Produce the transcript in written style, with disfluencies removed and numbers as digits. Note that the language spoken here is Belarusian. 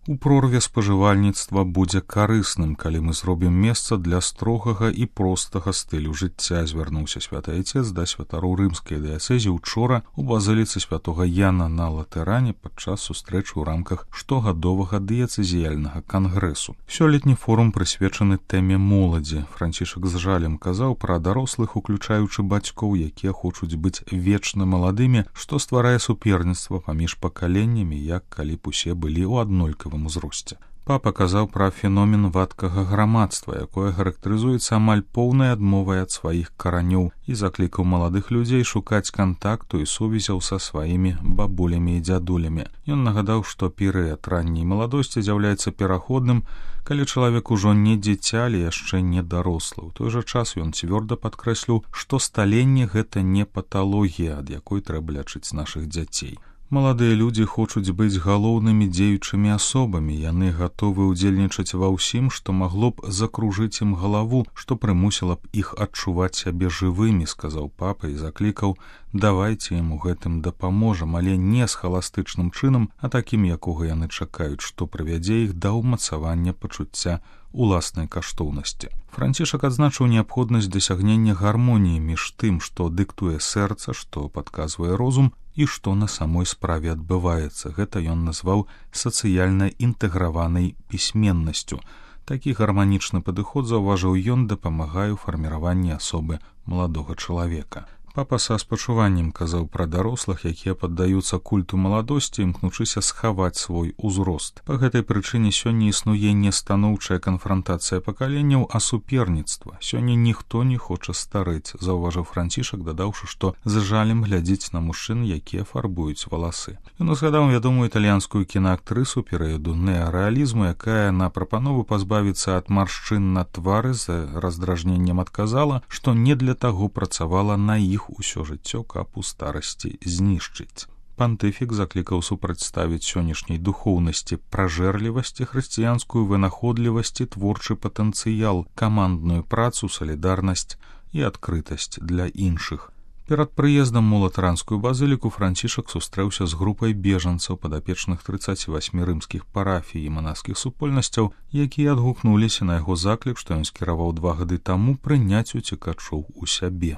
У прорве спажывальніцтва будзе карысным, калі мы зробім месца для строгага і простага стылю жыцця, звярнуўся святы айцец да святароў рымскай дыяцэзі учора у базыліцы святога Яна на Латэране падчас сустрэчы ў рамках штогадовага дыяцэзіяльнага кангрэсу. Сёлетні форум прысвечаны тэме моладзі. Францішак з жалем казаў пра дарослых, уключаючы бацькоў, якія хочуць быць вечна маладымі, што стварае суперніцтва паміж пакаленнямі, як калі б усе былі ў аднолькавым узросце. Папа казаў пра феномен вадкага грамадства, якое характарызуецца амаль поўнай адмовай ад сваіх каранёў, і заклікаў маладых людзей шукаць кантакту і сувязяў са сваімі бабулямі і дзядулямі. Ён нагадаў, што перыяд ранняй маладосці з'яўляецца пераходным, калі чалавек ужо не дзіця, але яшчэ не дарослы. У той жа час ён цвёрда падкрэсліў, што сталенне — гэта не паталогія, ад якой трэба лячыць нашых дзяцей. Маладыя людзі хочуць быць галоўнымі дзеючымі асобамі, яны гатовы ўдзельнічаць ва ўсім, што магло б закружыць ім галаву, што прымусіла б іх адчуваць сябе жывымі, сказаў папа і заклікаў: давайце ім у гэтым дапаможам, але не схаластычным чынам, а такім, якога яны чакаюць, што прывядзе іх да ўмацавання пачуцця уласнай каштоўнасці. Францішак адзначыў неабходнасць дасягнення гармоніі між тым, што дыктуе сэрца, што падказвае розум, і што на самой справе адбываецца. Гэта ён назваў сацыяльна інтэграванай пісьменнасцю. Такі гарманічны падыход, заўважыў ён, дапамагае ў фарміраванні асобы маладога чалавека. Папа са спачуваннем казаў пра дарослых, якія паддаюцца культу маладосці, імкнучыся схаваць свой узрост. Па гэтай прычыне сёння існуе не станоўчая канфрантацыя пакаленняў, а суперніцтва. Сёння ніхто не хоча старэць, заўважыў Францішак, дадаўшы, што з жалем глядзіць на мужчын, якія фарбуюць валасы. Ён узгадаў вядомую італьянскую кінаактрысу перыяду неарэалізму, якая на прапанову пазбавіцца ад маршчын на твары з раздражненнем адказала, што не для таго працавала на іх усё жыццё, каб у старасці знішчыць. Пантыфік заклікаў супрацьставіць сённяшняй духоўнасці пражэрлівасці, хрысціянскую вынаходлівасць і творчы патэнцыял, камандную працу, салідарнасць і адкрытасць для іншых. Перад прыездам у Латаранскую базыліку Францішак сустрэўся з групай бежанцаў, падапечных 38 рымскіх парафій і манаскіх супольнасцяў, якія адгукнуліся на яго заклік, што ён скіраваў 2 гады таму, прыняць уцекачоў у сябе.